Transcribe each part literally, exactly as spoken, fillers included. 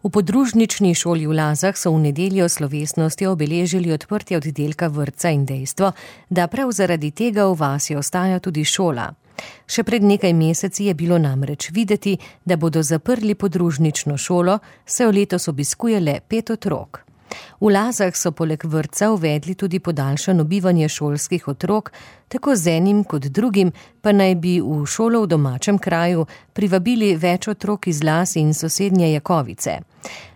V podružnični šoli v Lazah so v nedeljo slovesnostjo obeležili odprtje oddelka vrtca in dejstvo, da prav zaradi tega v vasi ostaja tudi šola. Še pred nekaj meseci je bilo namreč videti, da bodo zaprli podružnično šolo, saj letos obiskuje le pet otrok. V Lazah so poleg vrtca uvedli tudi podaljšano bivanje šolskih otrok, tako z enim kot drugim pa naj bi v šolo v domačem kraju privabili več otrok iz Laz in sosednje Jakovice.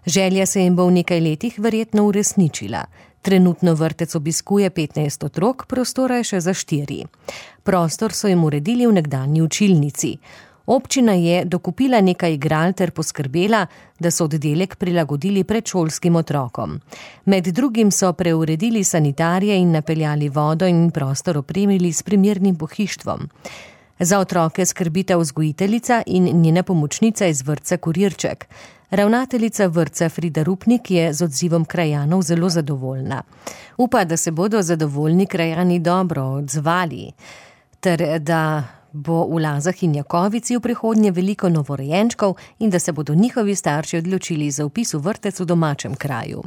Želja se jim bo v nekaj letih verjetno uresničila. Trenutno vrtec obiskuje petnajst otrok, prostora je še za štiri. Prostor so jim uredili v nekdanji učilnici. Občina je dokupila nekaj igral ter poskrbela, da so oddelek prilagodili predšolskim otrokom. Med drugim so preuredili sanitarije in napeljali vodo in prostor opremili s primernim pohištvom. Za otroke skrbita vzgojiteljica in njena pomočnica iz vrtca Kurirček. Ravnateljica vrtca Frida Rupnik je z odzivom krajanov zelo zadovoljna. Upa, da se bodo zadovoljni krajani dobro odzvali, ter da bo v Lazah in Jakovici v prihodnje veliko novorojenčkov in da se bodo njihovi starši odločili za vpis v vrtec v domačem kraju.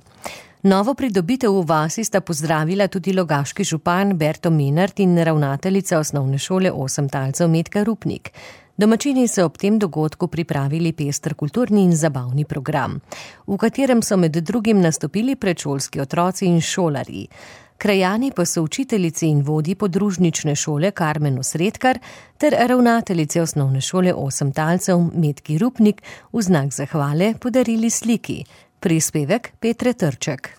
Novo pridobitev v vasi sta pozdravila tudi logaški župan Berto Menart in ravnateljica osnovne šole Osem talcev Metka Rupnik. Domačini so ob tem dogodku pripravili pester kulturni in zabavni program, v katerem so med drugim nastopili predšolski otroci in šolarji. Krajani pa so učiteljici in vodji podružnične šole Karmen Osredkar ter ravnateljice osnovne šole Osem talcev Metki Rupnik v znak zahvale podarili sliki. Prispevek Petre Trček.